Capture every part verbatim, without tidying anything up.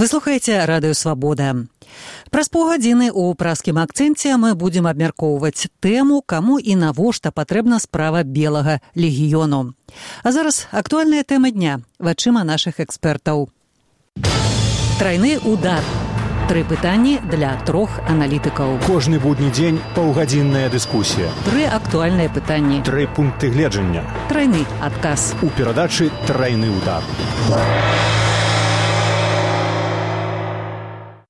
Вы слухаеце радыё «Свабода». Праз паўгадзіны ў праскім акцэнце мы будзем абмяркоўваць тэму, каму і навошта патрэбна справа белага легіёну. А зараз актуальная тэма дня вачыма нашых экспертаў. Трайны удар. Тры пытанні для трох аналітыкаў. Кожны будні дзень паўгадзінная дыскусія. Тры актуальныя пытанні. Тры пункты гледжання. Трайны адказ. У перадачы «Трайны удар».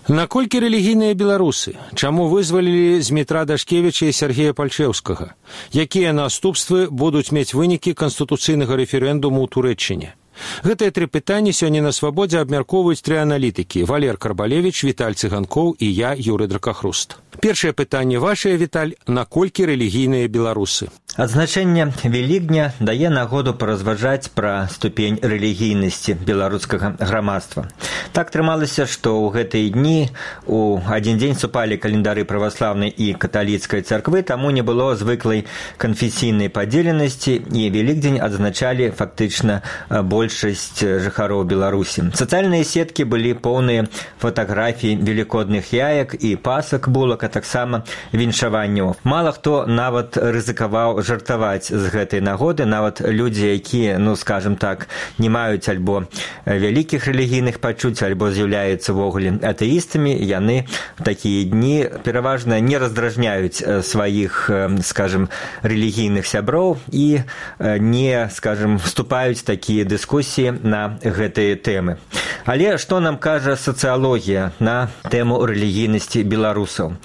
Наколькі рэлігійныя беларусы? Чаму вызвалілі Змітра Дашкевіча і Сергея Пальчэўскага? Якія наступствы будуць мець вынікі канстытуцыйнага рэферэндуму ў Турэччыне? Гэтыя тры пытанні сёння на «Свабодзе» абмяркоўваюць тры аналітыкі: Валер Карбалевіч, Віталь Цыганкоў і я, Юрый Дракахруст. Першае пытанне вашае, Віталь: наколькі рэлігійныя беларусы? Адзначэнне Велікдня дае нагоду паразважаць пра ступень рэлігійнасці беларускага грамадства. Так трымалася, што ў гэтыя дні у адзін дзень супалі календары праваслаўнай і каталіцкай царквы, таму не было звыклай канфесійнай падзеленасці, і Велікдзень адзначалі фактычна большасць жыхароў Беларусі. Сацыяльныя сеткі былі поўныя фатаграфій велікодных яек і пасак булак, а таксама віншаванняў. Мала хто нават рызыкаваў жартаваць з гэтай нагоды, нават людзі, якія, ну, скажем так, не маюць альбо вялікіх рэлігійных пачуць, альбо з'яўляюцца ввогуле атэістамі, яны в такія дні пераважна не раздражняюць сваіх, скажем, рэлігійных сяброў і не, скажем, вступаюць такія дыскусіі на гэтыя тэмы. Але што нам кажа сацыялогія на тэму рэлігійнасці беларусаў?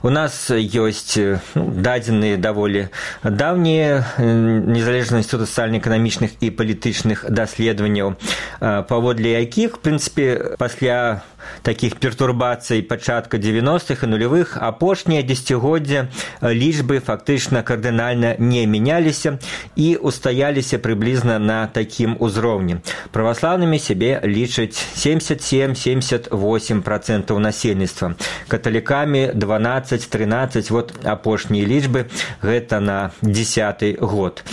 У нас ёсць, ну, дадзеныя даволі даўнія незалежна ад сацыяльна-эканамічных і палітычных даследаванняў, паводле якіх, в прынцыпе, пасля такіх пертурбацый пачатка дзевяностых і нулявых апошнія дзесяцігоддзя лічбы фактычна кардынальна не мяняліся і устаяліся прыблізна на такім узроўні. Праваслаўнымі сябе лічаць семьдесят семь - семьдесят восемь процентаў насельніцтва, каталікамі дванаццаць-трынаццаць, вот апошнія лічбы, гэта на дзесяты год,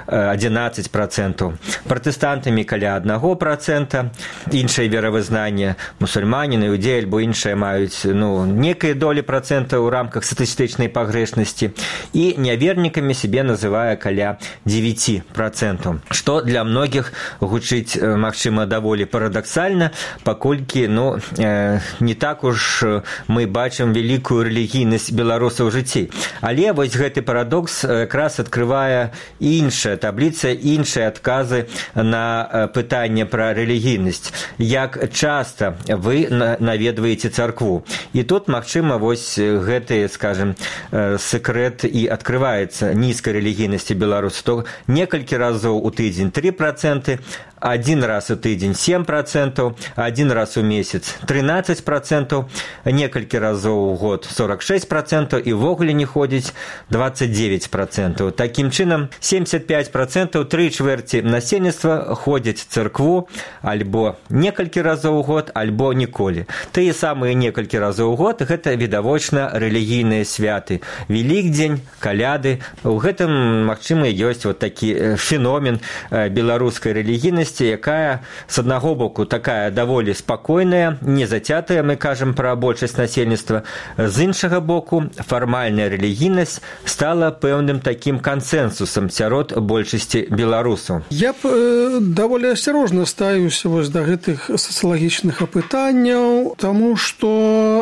адзінаццаць процентаў. Пратэстантамі каля аднаго процента, іншае веравызнанне, мусульмане, іудеі альбо іншыя маюць, ну, некая доля процента ў рамках статыстычнай пагрэшнасці, і нявернікамі сябе называе каля дзевяць процентаў. Што для многіх гучыць, магчыма, даволі парадаксальна, паколькі, ну, э, не так уж мы бачым вялікую рэлігійнасць беларусаў у жыцці. Але вось гэты парадокс якраз адкрывае іншая табліца, іншыя адказы на пытанне пра рэлігійнасць. Як часта вы наведваеце царкву? І тут, магчыма, вось гэты, скажем, секрэт і адкрываецца нізкай рэлігійнасці беларусаў. То некалькі разоў у тыдзень тры проценты, один раз у тыдзень сем процентаў, один раз у месяц трынаццаць процентаў, некалькі разоў у год сорок шесть процентаў і ввогуле не ходзіць двадцать девять процентаў. Такім чынам, семьдесят пять процентаў, тры чвэрці насельніцтва ходзяць царкву альбо некалькі разоў у год, альбо ніколі. Тыя самыя некалькі разоў у год гэта відавочна рэлігійныя святы. Велікдзень, каляды. У гэтым, магчыма, ёсць вот такі феномен беларускай рэлігійнасці, якая, з аднаго боку, такая даволі спакойная, не зацятая, мы кажам пра большасць насельніцтва, з іншага боку, фармальная рэлігійнасць стала пэўным такім кансэнсусам сярод большасці беларусаў. Я б э, даволі асцярожна ставіўся вось да гэтых сацыялагічных апытанняў, таму што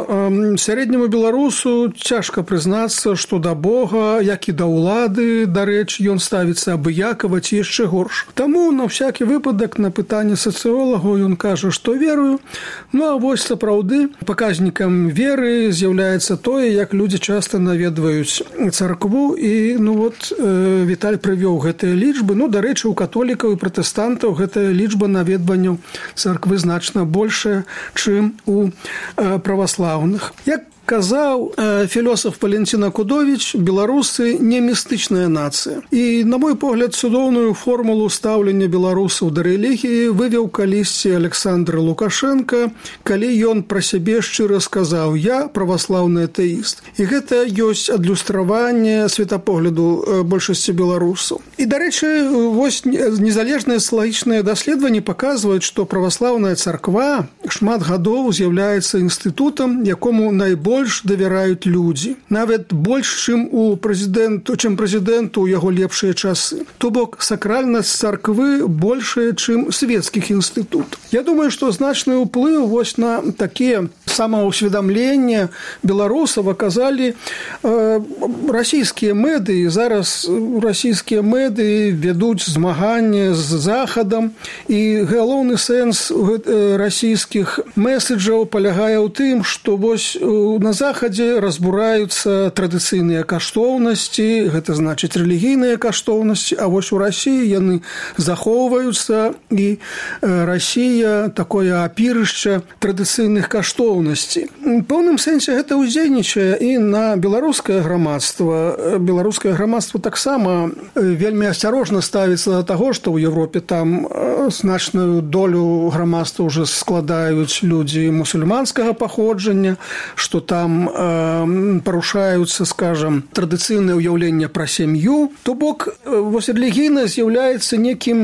э, сярэдняму беларусу цяжка прызнацца, што да Бога, як і да ўлады, дарэчы, ён ставіцца абыякава ці яшчэ горш. Таму на всякі выпадак на пытанне сацыолагаў ён кажа, што верую. Ну а вось сапраўды паказнікам веры з'яўляецца тое, як людзі часта наведваюць царкву, і, ну вот, э, Віталь прывёў гэтыя лічбы. Ну, дарэчы, у католікаў і пратэстантаў гэтая лічба наведванняў царквы значна большая, чым у э, праваслаўных. Як казаў філосаф Валентина Кудович, беларусы не містычная нацыя. І, на мой погляд, цудоўную формулу стаўлення беларусаў да рэлігіі вывеў калісьці Александр Лукашенко, калі ён пра сябе шчыра сказаў: «Я праваслаўны атэіст». І гэта ёсць адлюстраванне светапогляду большасці беларусаў. І, дарэчы, вось незалежныя сацыялагічныя даследаванні паказваюць, што праваслаўная царква шмат гадоў з'яўляецца інстытутам, якому найбольш давяраюць людзі. Нават больш, чым у прэзідэнту, чым прэзідэнту ў яго лепшыя часы. То бок, сакральнасць царквы большая, чым светскіх інстытутаў. Я думаю, што значны ўплыў вось на такія самаўсведамленне беларусаў аказалі э, расійскія медыі. Зараз расійскія медыі вядуць змаганне з Захадам, і галоўны сэнс э, расійскіх меседжаў палягае ў тым, што вось э, на Захадзе разбураюцца традыцыйныя каштоўнасці, гэта значыць рэлігійныя каштоўнасці, а вось у Расіі яны захоўваюцца, і э, Расія такое апірышча традыцыйных каштоўнасцей. У пэўным сэнсе гэта ўздзейнічае і на беларускае грамадства. Беларускае грамадства таксама вельмі асцярожна ставіцца да таго, што ў Европе там значную долю грамадства ўжо складаюць людзі мусульманскага паходжання, што там э, парушаюцца, скажам, традыцыйнае ўяўленне пра сям'ю. То бок, вось рэлігійна з'яўляецца некім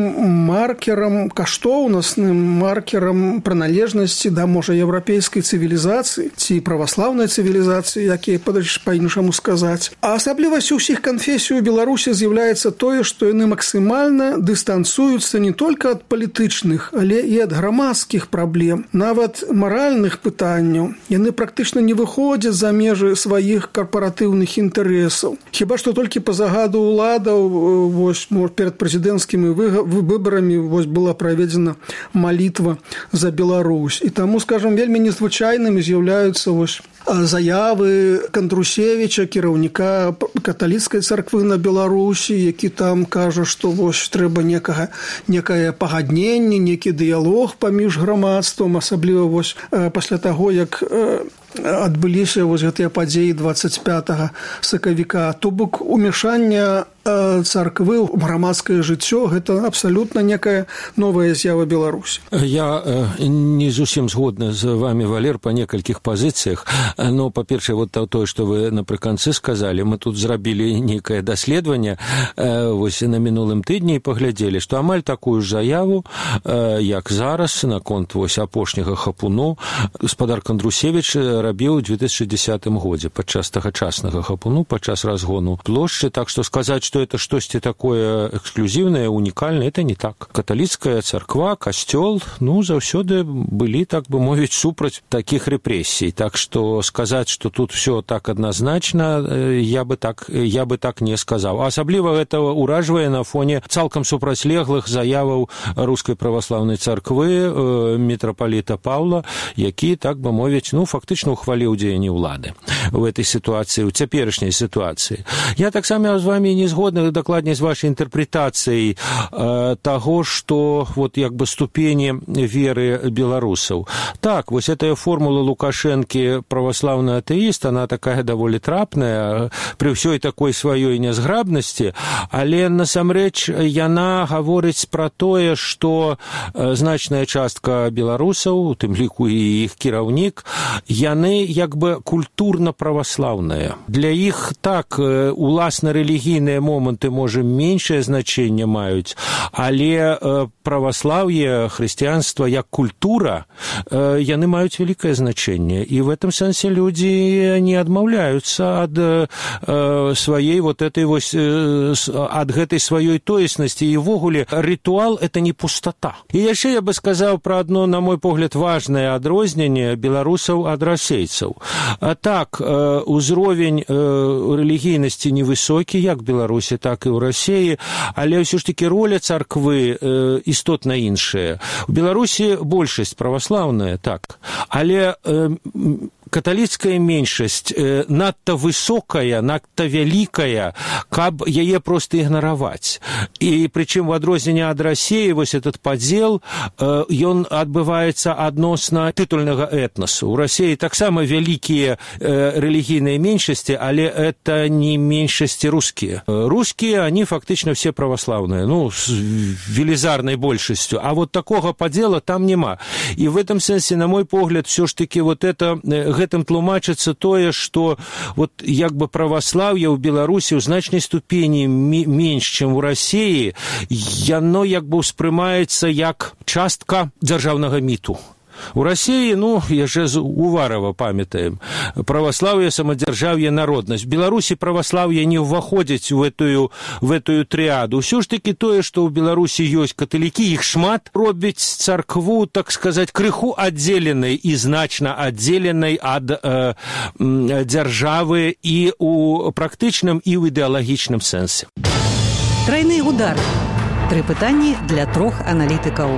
маркерам каштоўнасным, маркерам прыналежнасці да, можа, еўрапейскай цывілізацыі ці праваслаўнай цывілізацыі, якія па-іншаму сказаць. А асаблівасцю ўсіх канфесій у Беларусі з'яўляецца тое, што яны максімальна дыстанцыююцца не толькі ад палітычных, але і ад грамадскіх праблем, нават маральных пытанняў. Яны практычна не выходзяць за межы сваіх карпаратыўных інтарэсаў. Хіба што толькі па загаду ўладаў вось, перад прэзідэнцкімі выбарамі вось, была праведзена малітва за Беларусь. І таму, скажам, вельмі незвычайнымі з'яўляюцца вось заявы Кандрусевіча, кіраўніка каталіцкай царквы на Беларусі, які там кажа, што вось трэба некага, некае пагадненне, некі дыялог паміж грамадствам, асабліва вось пасля таго, як адбыліся вось гэтыя падзеі двадцать пятага сакавіка. То бок умешання царквы ў грамадскае жыццё — гэта абсалютна некая новая з'ява Беларусі. Я не зусім згодны з вами, Валер, па некалькіх пазіцыях. Но, па-першае, вот тое, што вы напрыканцы сказалі, мы тут зрабілі нейкае даследаванне вось на мінулым тыдні і паглядзелі, што амаль такую ж заяву, як зараз, наконт вось апошняга хапуну, гаспадар Кандрусевіч рабіў у две тысячы дзесятым годзе падчас тагачаснага хапуну, падчас разгону плошчы. Так што сказаць, што это штосьці такое эксклюзіўнае, унікальнае, это не так. Каталіцкая царква, касцёл, ну, заўсёды былі, так бы мовіць, супраць такіх рэпрэсій. Так што сказаць, што тут все так адназначна, я бы так, я бы так не сказаў. Асабліва гэта ўражвае на фоне цалкам супрацьлеглых заяваў рускай праваслаўнай царквы мітрапаліта Паўла, які, так бы мовіць, ну, фактычна ухваліў дзеянні ўлады в этой ситуации, у цяперашняй ситуации. Я таксама з вами не згодны, дакладней, з вашай інтэрпрэтацыяй э, таго, што вот як бы ступені веры беларусаў. Так, вось гэтая формула Лукашэнкі праваслаўны атэіст, она такая даволі трапная пры ўсёй такой сваёй нязграбнасці, але насамрэч яна гаворыць пра тое, што значная частка беларусаў, у тым ліку і іх кіраўнік, яны як бы культурна праваслаўныя. Для іх так уласна рэлігійныя моманты, можа, меншае значэнне маюць, але праваслаўе, хрысціянства як культура, яны маюць вялікае значэнне. І в этом сэнсе людзі не адмаўляюцца ад сваей вот этой вось, ад гэтай сваёй тоеснасці. І ўвогуле рытуал — это не пустата. І яшчэ я бы сказаў пра адно, на мой погляд, важнае адрозненне беларусаў ад расейцаў. Так, узровень рэлігійнасці невысокі, як в Беларусі, так і ў Расіі, але ўсё ж такі роля царквы істотна іншая. У Беларусі большасць праваслаўная, так, але каталіцкая меншасць надта высокая, надта вялікая, каб яе проста ігнараваць. І прычым у адрозненне ад Расіі вось этот падзел ён адбываецца адносна тытульнага этнасу. У Расіі таксама вялікія рэлігійныя меншасці, але это не меншасці рускія. Рускія, они фактычна все праваслаўныя, ну, з велізарнай большасцю, а вот такога падзела там няма. І в этом сэнсе, на мой погляд, все ж таки вот это, гэтым тлумачыцца тое, што вот як бы праваслаўе ў Беларусі ў значнай ступені менш, чым у Расіі, яно як бы ўспрымаецца як частка дзяржаўнага міту. У Расіі, ну, яшчэ з Уварова памятаем, праваслаўе, самадзяржаўе, народнасць. В Беларусі праваслаўе не ўваходзіць у этую, в этую трыаду. Усё ж таки тое, што ў Беларусі ёсць каталікі, іх шмат, робіць царкву, так сказаць, крыху аддзеленай і значна аддзеленай ад э, дзяржавы і ў практычным, і ў ідэалагічным сэнсе. Трайны удар. Тры пытанні для трох аналітыкаў.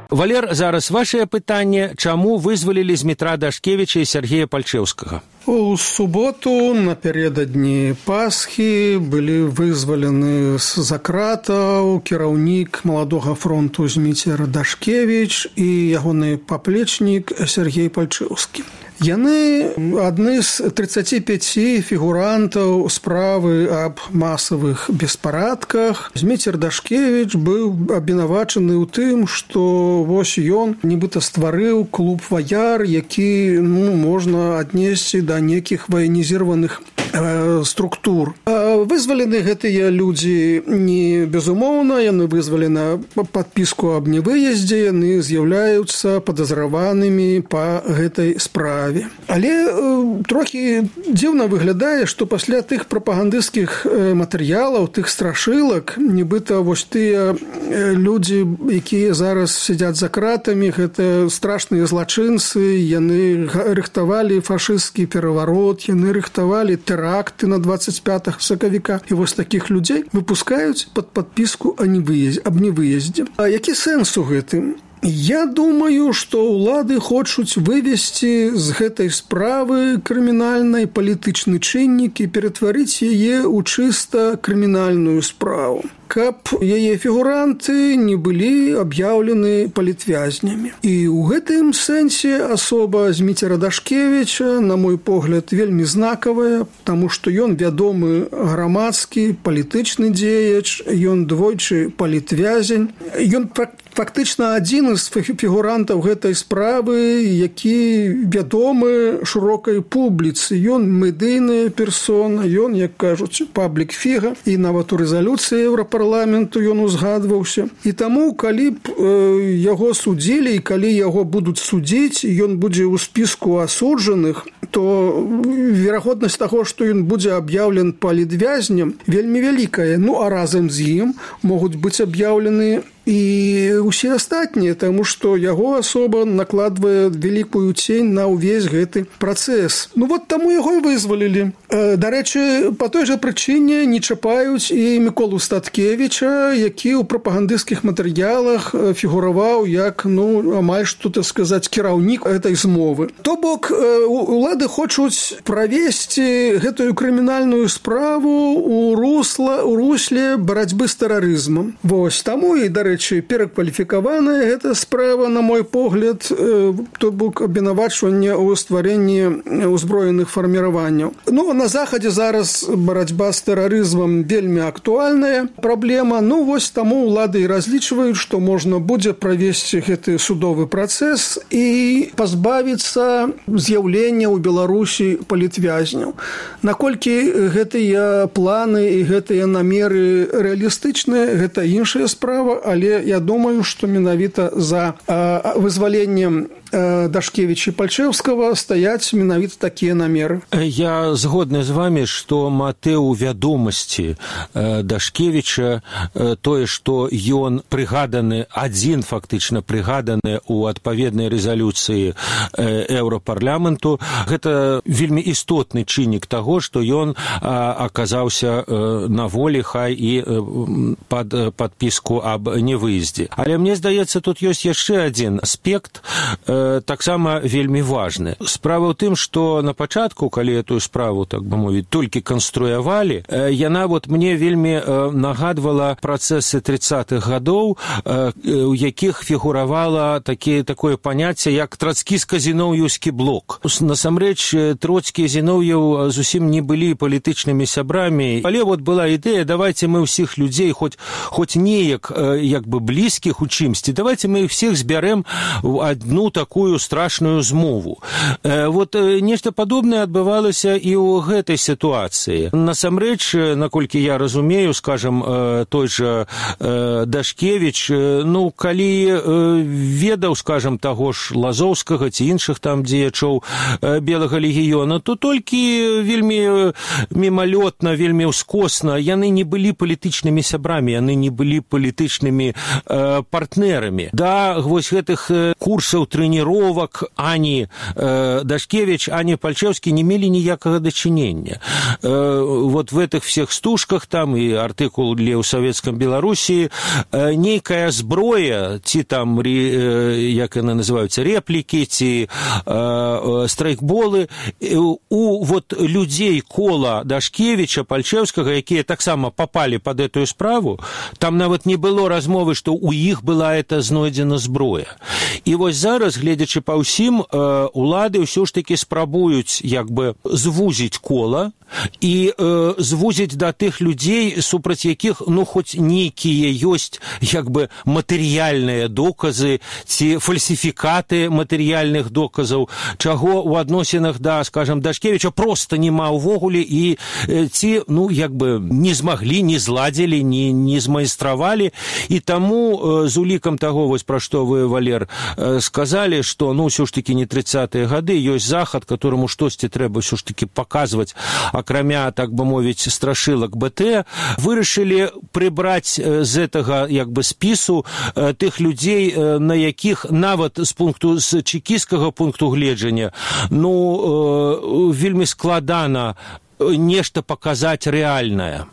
Валер, зараз вашее пытанне, чаму вызвалілі з метра Дашкевіча і Сергея Пальчэўскага? У суботу, напярэдадні Пасхі, былі вызвалены з-за кратаў кіраўнік маладога фронту Зміцер Дашкевіч і ягоны паплечнік Сергей Пальчэўскі. Яны адны з тридцати пяти фігурантаў справы аб масавых беспарадках. Зміцер Дашкевіч быў абвінавачаны ў тым, што вось ён нібыта стварыў клуб «Ваяр», які, ну, можна аднесці да некіх ваенізіраваных э, структур. А вызвалены гэтыя людзі не безумоўна, яны вызвалены падпіску аб невыездзе, яны з'яўляюцца падазраванымі па гэтай справе. Але э, трохі дзіўна выглядае, што пасля тых прапагандысцкіх э, матэрыялаў, тых страшылак, нібыта вось тыя э, людзі, якія зараз сядзяць за кратамі, гэта страшныя злачынцы, яны рыхтавалі фашысцкі пераварот, яны рыхтавалі тэракты на двадцать пятага сакавіка. І вось такіх людзей выпускаюць пад падпіску аб невыездзе. А які сэнс у гэтым? Я думаю, што ўлады хочуць вывесці з гэтай справы крымінальнай палітычны чыннік і ператварыць яе ў чыста крымінальную справу, каб яе фігуранты не былі аб'яўлены палітвязнямі. І ў гэтым сэнсе асоба Зміцера Дашкевіча, на мой погляд, вельмі знакавая, таму што ён вядомы грамадскі палітычны дзеяч, ён двойчы палітвязень, ён фактычна адзін з фігурантаў гэтай справы, які вядомы шырокай публіцы. Ён медыйная персона, ён, як кажуць, паблік-фіга, і нават у рэзалюцыі Еўрапарламенту ён узгадваўся. І таму, калі б э, яго судзілі, і калі яго будуць судзіць, ён будзе ў спіску асуджаных, то верагоднасць таго, што ён будзе аб'яўлен палітвязнем, вельмі вялікая. Ну, а разам з ім могуць быць аб'яўлены і ўсе астатнія, таму што яго асоба накладвае вялікую цень на ўвесь гэты працэс. Ну вот таму яго і вызвалілі. Дарэчы, па той жа прычыне не чапаюць і Міколу Статкевіча, які ў прапагандысцкіх матэрыялах фігураваў як, ну, амаль што, так сказаць, кіраўнік гэтай змовы. То бок, улады хочуць правесці гэтую крымінальную справу у русла, у русле барацьбы з тэрарызмам. Вось таму і, дарэчы, перакваліфікаваная гэта справа, на мой погляд, то бок абвінавачванне ў стварэнні ўзброеных фарміраванняў. Ну, на Захадзе зараз барацьба з тэрарызмам вельмі актуальная праблема. Ну, вось таму ўлады і разлічваюць, што можна будзе правесці гэты судовы працэс і пазбавіцца з'яўлення ў Беларусі палітвязняў. Наколькі гэтыя планы і гэтыя намеры рэалістычныя, гэта іншая справа, але я думаю, што менавіта за э, вызваленнем э, Дашкевіча і Пальчэўскага стаяць менавіта такія намеры. Я згодны з вами, што матыў вядомасці э, Дашкевіча, э, тое, што ён прыгаданы, адзін фактычна прыгаданы ў адпаведнай рэзалюцыі э, Еўрапарламенту, гэта вельмі істотны чыннік таго, што ён э, аказаўся э, на волі, хай і э, пад падпіску аб невыездзе. Але мне здаецца, тут ёсць яшчэ адзін аспект, э, таксама вельмі важны. Справа ў тым, што на пачатку, калі эту справу, так бы мовіць, толькі канструявалі, э, яна вот мне вельмі э, нагадвала працэсы тридцатых гадоў, э, у якіх фігуравала такі, такое паняцце, як трацкіска-зіноўеўскі блок. Насамрэч, Троцкі і Зіноўеў зусім не былі палітычнымі сябрамі, але вот была ідэя, давайте мы ўсіх людзей, хоць, хоць неяк э, як бы блізкіх у чымсьці, давайте мы іх всіх збярэм в одну такую страшную змову. Э, вот э, нешта падобнае адбывалася і ў гэтай сітуацыі. Насамрэч, наколькі я разумею, скажем, э, той же э, Дашкевіч, э, ну, калі э, ведаў, скажем, таго ж Лазоўскага ці іншых там дзеячоў э, Белага легіёна, то толькі вельмі мімалётна, вельмі ўскосна, яны не былі палітычнымі сябрамі, яны не былі палітычнымі э, партнерамі. Да, вось гэтых э, курсаў трэніровак ані э, Дашкевіч, ані Пальчэўскі не мелі ніякага дачынення. Э, вот в этих всех стужках, там і артыкул для ў Савецкам Беларусі, э, нейкая зброя, ці там, э, як яны называюцца, рэплікі, ці э, э, страйкболы, э, у вот людзей кола Дашкевіча, Пальчэўскага, якія таксама попали под эту справу, там нават не было размовы, што у іх была эта знойдзена зброя. І вось зараз, гледзячы па ўсім, улады ўсё ж такі спрабуюць як бы звузіць кола і э, звузіць да тых людзей, супраць якіх, ну, хоць нейкія ёсць як бы матэрыяльныя доказы ці фальсіфікаты матэрыяльных доказаў, чаго ў адносінах да, скажем, Дашкевіча проста няма ўвогуле, і э, ці, ну, як бы не змаглі, не зладзілі, не, не змайстравалі, і таму э, з улікам таго, вось пра што вы, Валер, э, сказалі, што, ну, ўсё ж такі не тридцатыя гады, ёсць захад, которому штосьці трэба ўсё ж такі паказваць, акрамя, так бы мовіць, страшылак БТ, вырашылі прыбраць з гэтага як бы спісу тых людзей, на якіх нават з пункту з чекісцкага пункту гледжання, ну, вельмі складана нешта паказаць рэальнае.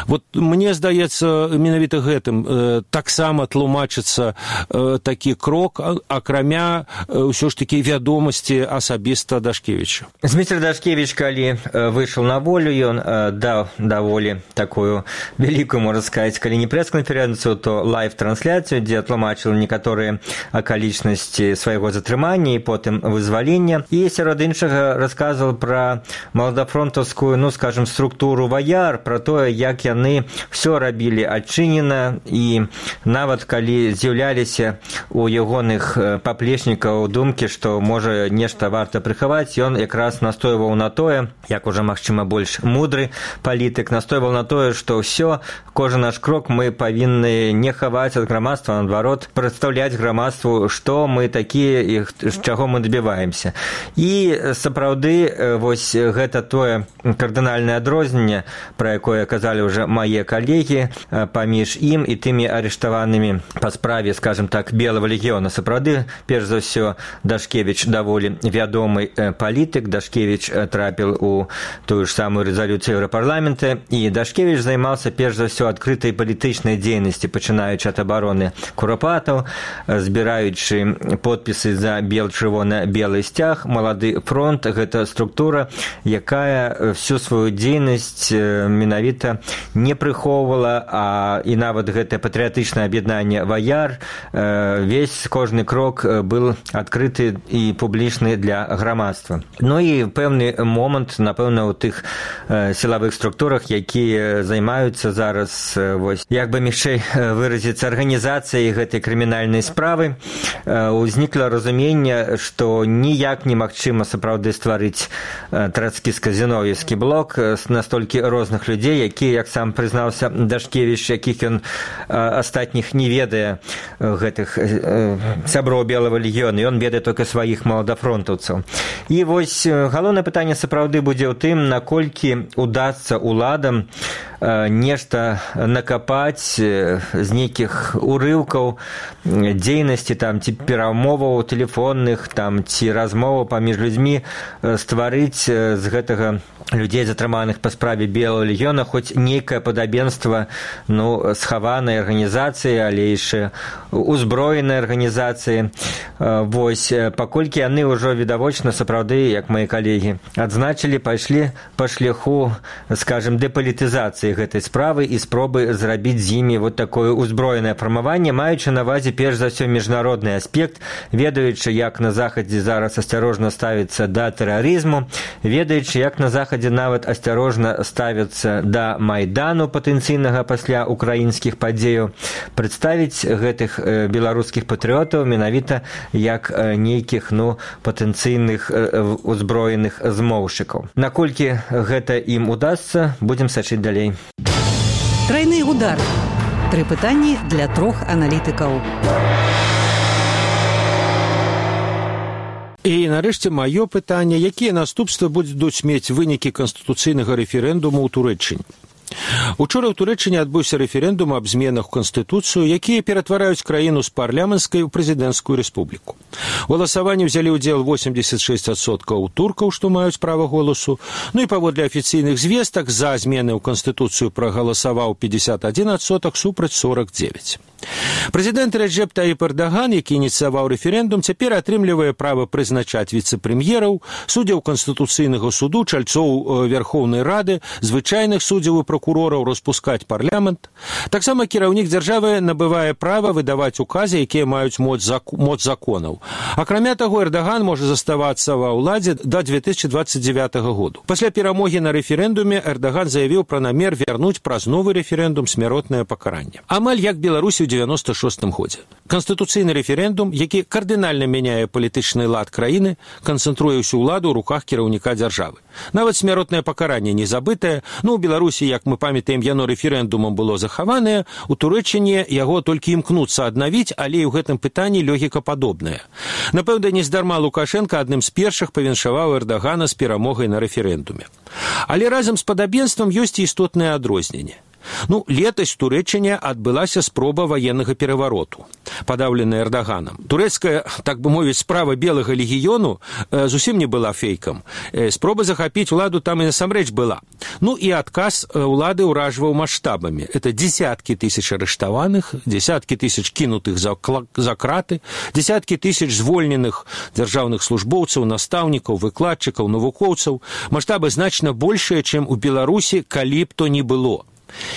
Вот мне здаецца, менавіта гэтым э, таксама тлумачыцца э, такі крок, акрамя э, ўсё ж такі вядомасці асабіста Дашкевіча. Зміцер Дашкевіч, калі э, выйшаў на волю, ён э, даў даволі такую вялікую, можна сказаць, калі не прэс-канферэнцыю, то лайв-трансляцыю, дзе тлумачыў некаторыя акалічнасці свайго затрымання і потым вызвалення. І сярод іншага расказваў пра маладафронтаўскую, ну, скажем, структуру ваяр, пра тое, як яны все рабілі адчынена, і нават калі з'яўляліся у ягоных паплечнікаў думкі, што можа нешта варта прыхаваць, ён якраз настойваў на тое, як уже, магчыма, больш мудры палітык, настойваў на тое, што ўсё, кожны наш крок мы павінны не хаваць ад грамадства, наадварот, прадстаўляць грамадству, што мы такія і з чаго мы дабіваемся. І сапраўды, вось гэта тое кардынальнае адрозненне, пра якое казалі уже мае калегі, паміж ім і тымі арыштаванымі па справе, скажем так, Белага легіёна. Сапраўды, перш за ўсё, Дашкевіч даволі вядомы палітык, Дашкевіч трапіў у тую ж самую рэзалюцыю Еўрапарламента, і Дашкевіч займаўся перш за ўсё адкрытай палітычнай дзейнасці, пачынаючы ад абароны Курапатаў, збіраючы подпісы за бел-чырвона-белы сцяг. Малады фронт — гэта структура, якая всю сваю дзейнасць менавіта не прыхоўвала, а і нават гэтае патрыятычнае аб'яднанне ваяр, весь кожны крок быў адкрыты і публічны для грамадства. Ну і пэўны момант, напэўна, у тых сілавых структурах, якія займаюцца зараз, вось, як бы мягчэй выразіцца, арганізацыяй гэтай крымінальнай справы, узнікла разуменне, што ніяк немагчыма сапраўды стварыць трацкіска-зіноўеўскі блок з настолькі розных людзей, якія, як сам прызнаўся Дашкевіч, якіх ён астатніх не ведае, гэтых сяброў Белага легіёна, ён ведае толькі сваіх маладафронтаўцаў. І вось галоўнае пытанне сапраўды будзе ў тым, наколькі удасца уладам нешта накапаць з нейкіх урыўкаў дзейнасці там ці перамоваў тэлефонных там ці размоваў паміж людзьмі, стварыць з гэтага людзей, затрыманых па справе Белага легіёна, хоць нейкае падабенства ну, схаванай арганізацыі, але яшчэ узброенай арганізацыі. Вось, паколькі яны ўжо відавочна сапраўды, як мои калегі адзначылі, пайшлі па шляху, скажем, дэпалітызацыі гэтай справы і спробы зрабіць з імі вот такое узброенае фармаванне, маючы на ўвазе перш за ўсё міжнародны аспект, ведаючы, як на захадзе зараз асцярожна ставіцца да тэрарызму, ведаючы, як на захадзе нават асцярожна ставяцца да майдану патэнцыйнага пасля украінскіх падзеяў, прадставіць гэтых беларускіх патрыётаў менавіта як нейкіх ну, патэнцыйных узброеных змоўшчыкаў. Наколькі гэта ім удасца, будзем сачыць далей. Трайны удар. Тры пытанні для трох аналітыкаў. І нарэшце маё пытанне, якія наступствы будуць мець вынікі канстытуцыйнага рэферэндуму ў Турэччыне. Учора ў Турэччыне адбыўся рэферэндум аб зменах у Канстытуцыю, якія ператвараюць краіну з парламенцкай у прэзідэнцкую рэспубліку. У галасаванні ўзялі ўдзел восемьдесят шесть адсоткаў туркаў, што маюць права голасу, ну і паводле афіцыйных звестак за змены ў Канстытуцыю прагаласаваў пятьдесят один адсотак супраць сорок девять. Прэзідэнт Рэджэп Таіп Эрдаган, які ініцыяваў рэферэндум, цяпер атрымлівае права прызначаць віцэ-прэм'ераў, суддзяў Канстытуцыйнага суду, чальцоў Верхоўнай Рады, звычайных суддзяў і прокурораў, распускаць парламент. Таксама кіраўнік дзяржавы набывае права выдаваць указы, якія маюць моц законаў. Акрамя таго, Эрдаган можа заставацца ва ўладзе да две тысячи двадцать девятого году. Пасля перамогі на рэферэндуме Эрдаган заявіў пра намер вярнуць праз новы рэферэндум смяротнае пакаранне. Амаль як Беларусі ў девяносто шостым годзе. Канстытуцыйны рэферэндум, які кардынальна мяняе палітычны лад краіны, канцэнтруе ўсю ўладу ў руках кіраўніка дзяржавы. Нават смяротнае пакаранне не забытае, ну, у Беларусі, як мы памятаем, яно рэферэндумам было захаванае, у Турэччыне яго толькі імкнуцца аднавіць, але і ў гэтым пытанні логіка падобная. Напэўна, нездарма Лукашенко адным з першых павіншаваў Эрдагана з перамогай на рэферэндуме. Але разам з падабенствам ёсць і істотнае адрозненне. Ну, летась у Турэччыне адбылася спроба ваеннага перавароту, падаўленая Эрдаганам. Турэцкая, так бы мовіць, справа Белага легіёну э, зусім не была фейкам. Э, спроба захапіць уладу там і насамрэч была. Ну і адказ э, улады ўражваў маштабамі. Это десяткі тысяч арыштаваных, десяткі тысяч кінутых за, за краты, десяткі тысяч звольненых дзяржаўных службоўцаў, настаўнікаў, выкладчыкаў, навукоўцаў. Маштабы значна большыя, чым у Беларусі, калі б то не было.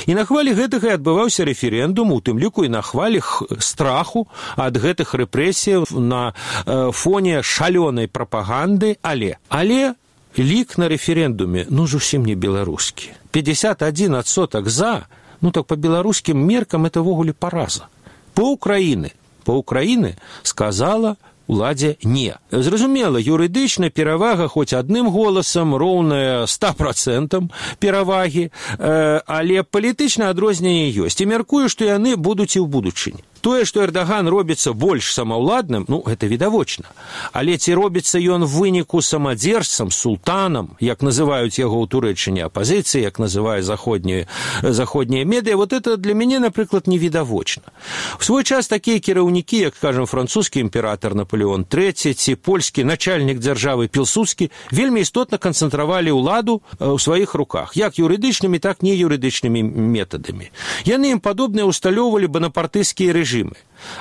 І на хвалі гэтага і адбываўся рэферэндум, у тым ліку і на хвалі страху ад гэтых рэпрэсій на э, фоне шалёнай прапаганды, але але лік на рэферэндуме ну зусім не беларускі. пятьдесят один адсотак за, ну так по беларускім меркам это ввогуле параза. По Украіны, по Украіны сказала уладзе не. Зразумела, юрыдычна перавага хоць адным голасам роўная ста процентам перавагі, э, але палітычна адрозненне ёсць. І мяркую, што яны будуць і ў будучыні. Тое, што Эрдаган робіцца больш самаўладным, ну, гэта відавочна. Але ці робіцца ён в выніку самадзержцам, султанам, як называюць яго ў Турэччыне апазіцыі, як называе заходнія, заходнія медыа, вот это для мяне, напрыклад, невідавочна. В свой час такія кіраўнікі, як, скажем, французскі імператар Наполеон трэці ці польскі начальнік дзяржавы Пілсудскі, вельмі істотна канцэнтравалі ўладу ў сваіх руках, як юрыдычнымі, так не юрыдычнымі метадамі. Яны ім падобныя усталёўвалі банапартыйскія рэжымы.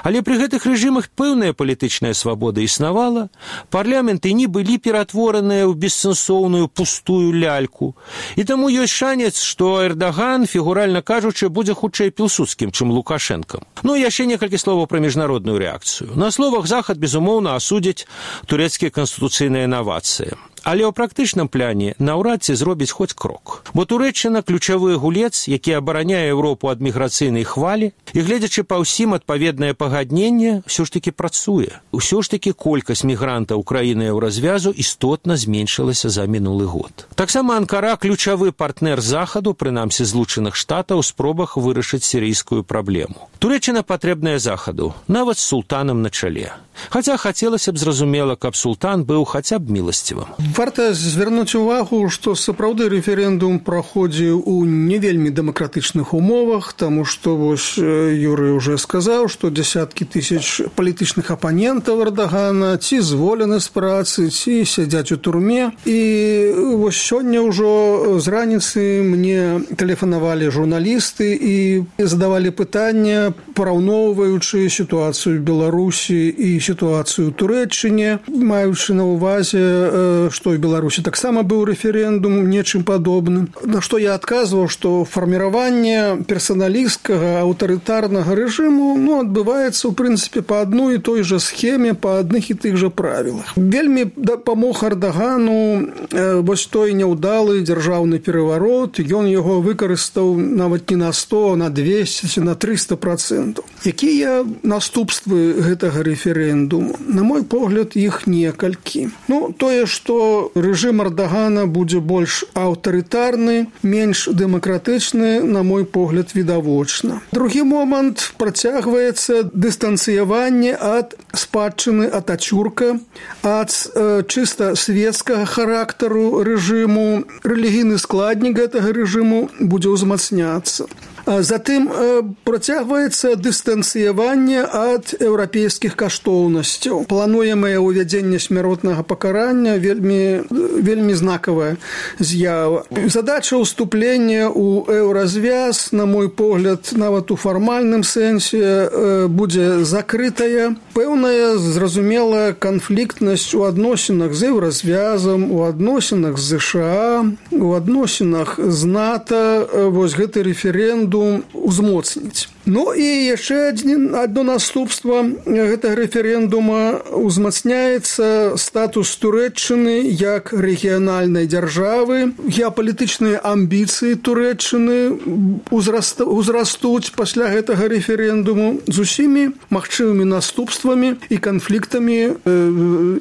Але пры гэтых рэжымах пэўная палітычная свабода існавала, парламенты не былі ператвораныя ў бессэнсоўную пустую ляльку. І таму ёсць шанец, што Эрдаган, фігуральна кажучы, будзе хутчэй Пілсудскім, чым Лукашэнкам. Ну і яшчэ некалькі словаў пра міжнародную рэакцыю. На словах Захад, безумоўна, асудзіць турэцкія канстытуцыйныя інавацыі. Але ў практычным пляне наўрад ці зробіць хоць крок. Бо Турэччына ключавы гулец, які абараняе Еўропу ад міграцыйнай хвалі, і гледзячы па ўсім адпаведнае пагадненне, ўсё ж такі працуе. Усё ж такі колькасць мігрантаў краіны Еўразвязу істотна зменшылася за мінулы год. Таксама Анкара ключавы партнер Захаду, прынамсі Злучаных Штатаў, у спробах вырашыць сірыйскую праблему. Турэччына патрэбная Захаду, нават з султанам на чале. Хаця хацелася б зразумела, каб султан быў хаця б міласцівым. Варта звярнуць увагу, што сапраўды рэферэндум праходзіў у не вельмі дэмакратычных умовах, таму што вось Юрый уже сказаў, што дзясяткі тысяч палітычных апанентаў Эрдагана ці зволены з працы, ці сядзяць у турме. І вось сёння ўжо з раніцы мне тэлефанавалі журналісты і задавалі пытання, параўноўваючы сітуацыю в Беларусі і сітуацыю ў Турэччыне, маючы на ўвазе, што ў Беларусі таксама быў рэферэндум, нечым падобным. На што я адказваў, што фарміраванне персаналісцкага аўтарытарнага рэжыму ну, адбываецца, ў прынцыпе, па адной і той жа схеме, па адных і тых жа правілах. Вельмі дапамог Эрдагану вось той няўдалы дзяржаўны пераварот, ён яго выкарыстаў нават не на сто, а на двесце, на трыста процентаў. Якія наступствы гэтага рэферэндуму? На мой погляд, іх некалькі. Ну, тое, што рэжым Эрдагана будзе больш аўтарытарны, менш дэмакратычны, на мой погляд, відавочна. Другі момант, працягваецца дыстанцыяванне ад спадчыны Атацюрка, ад э, чыста светскага характару рэжыму. Рэлігійны складнік гэтага рэжыму будзе ўзмацняцца. Затым працягваецца дыстанцыяванне ад еўрапейскіх каштоўнасцяў. Плануемае ўвядзенне смяротнага пакарання вельмі, вельмі знакавая з'ява. Задача ўступлення ў еўразвяз, на мой погляд, нават у фармальным сэнсе будзе закрытая. Пэўная, зразумелая канфліктнасць у адносінах з еўразвязам, у адносінах з ЗША, у адносінах з НАТО, вось гэты рэферэндум узмоцніць. Ну і яшчэ адно наступства гэтага рэферэндума узмацняецца статус Турэччыны як рэгіянальнай дзяржавы. Геапалітычныя амбіцыі Турэччыны узрастуць пасля гэтага рэферэндуму з усімі магчымымі наступствамі і канфліктамі э,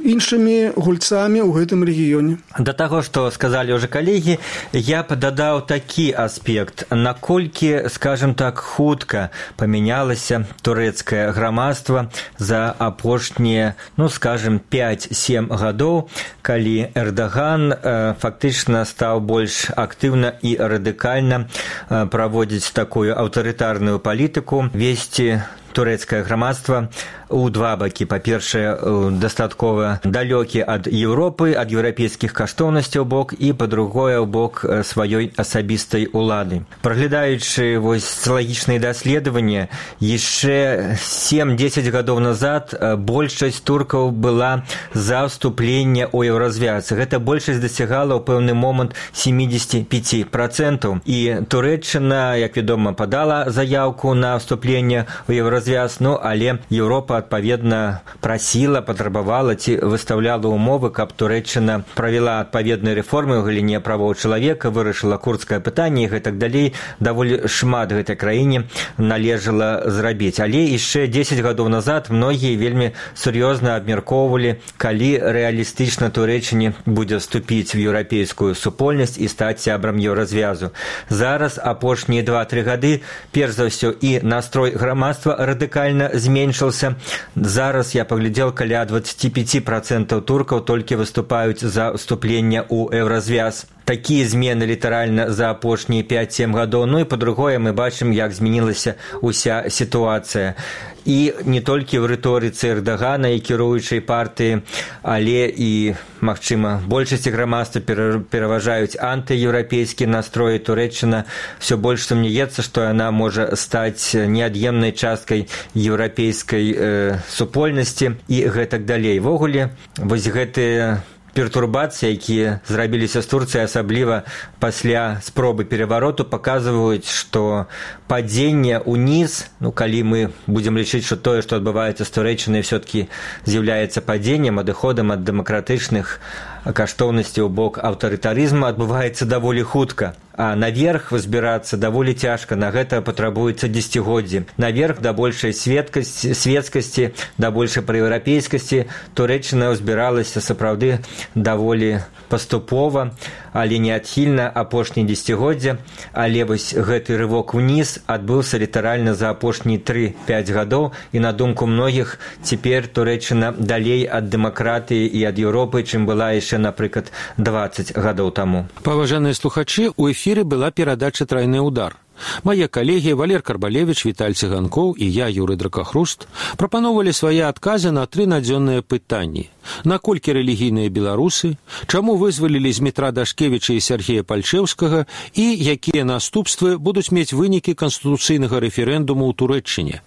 іншымі гульцамі ў гэтым рэгіёне. Да таго, што сказалі ўжо калегі, я б дадаў такі аспект, наколькі, скажем так, хутка памянялася турэцкае грамадства за апошнія, ну, скажем, пяць-сем гадоў, калі Эрдаган э, фактычна стаў больш актыўна і радыкальна э, праводзіць такую аўтарытарную палітыку, весці турэцкае грамадства у два бакі. Па-першае, дастаткова далёкі ад Еўропы, ад еўрапейскіх каштоўнасцяў бок, і па-другое, ў бок сваёй асабістай улады. Праглядаючы вось сацыялагічныя даследаванні, яшчэ сем-дзесяць гадоў назад большасць туркаў была за ўступленне ў еўразвяз. Гэта большасць дасягала ў пэўны момант сямдзесят пяць процентаў. І Турэччына, як вядома, падала заяўку на ўступленне ў еўразвяз, ну, але Еўропа адпаведна прасіла, патрабавала ці выстаўляла ўмовы, каб Турэччына правяла адпаведныя рэформы ў галіне правоў чалавека, вырашыла курдскае пытанне і гэтак далей. Даволі шмат гэтай краіне належала зрабіць. Але яшчэ дзесяць гадоў назад многія вельмі сур'ёзна абмяркоўвалі, калі рэалістычна Турэччыне будзе вступіць в еўрапейскую супольнасць і стаць сябрам еўразвязу. Зараз апошнія два-тры гады, перш за ўсё, і настрой грамадства радыкальна зменшыўся. Зараз я паглядзеў, каля двадцять пять процентаў туркаў толькі выступаюць за ўступленне ў еўразвяз. Такія змены літаральна за апошнія пяць-сем гадоў. Ну і па-другое, мы бачым, як змянілася ўся сітуацыя. І не толькі ў рыторыцы Эрдагана і кіруючай партыі, але і, магчыма, большасці грамадства пераважаюць антыеўрапейскія настроі. Турэччына ўсё больш сумнеецца, што яна можа стаць неад'емнай часткай еўрапейскай э, супольнасці і гэтак далей. Ввогуле, вось гэтыя пертурбацыі, якія зрабіліся з Турцыі, асабліва пасля спробы перавароту, паказваюць, што падзенне ўніз, ну, калі мы будзем лічыць, што тое, што адбываецца з Турэччынай, все-таки з'яўляецца падзеннем, адыходам ад дэмакратычных каштоўнасці ў бок аўтарытарызму адбываецца даволі хутка. А наверх вызбірацца даволі цяжка, на гэта патрабуецца дзесяцігоддзі. Наверх да большай светкасці, светскасці, да большай праеўрапейскасці Турэччына ўзбіралася сапраўды даволі паступова, але неадхільна апошні дзесяцігоддзя, але вось гэты рывок уніз адбыўся літаральна за апошнія тры-пяць гадоў, і на думку многіх цяпер Турэччына далей ад дэмакратыі і ад Еўропы, чым была яшчэ, напрыклад, дваццаць гадоў таму. Паважаныя слухачы, у эфіры была перадача «Трайны удар». Мае калегі Валер Карбалевіч, Віталь Цыганкоў і я, Юрый Дракахруст, прапаноўвалі свае адказы на тры надзённыя пытанні. Наколькі рэлігійныя беларусы, чаму вызвалілі з метра Дашкевіча і Сяргея Пальчэўскага і якія наступствы будуць мець вынікі канстытуцыйнага рэферэндуму ў Турэччыне.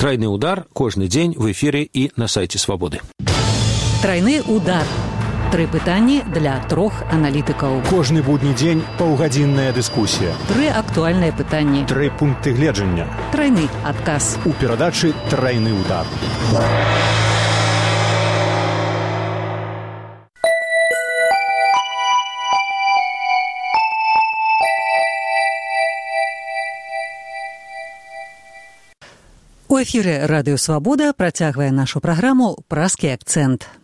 «Трайны удар» кожны дзень в эфіры і на сайце Свабоды. «Трайны удар». Тры пытанні для трох аналітыкаў. Кожны будні дзень паўгадзінная дыскусія. Тры актуальныя пытанні. Тры пункты гледжання. Трайны адказ. У перадачы «Трайны удар». У эфіры радыё «Свабода» працягвае нашу праграму «Празкі акцэнт».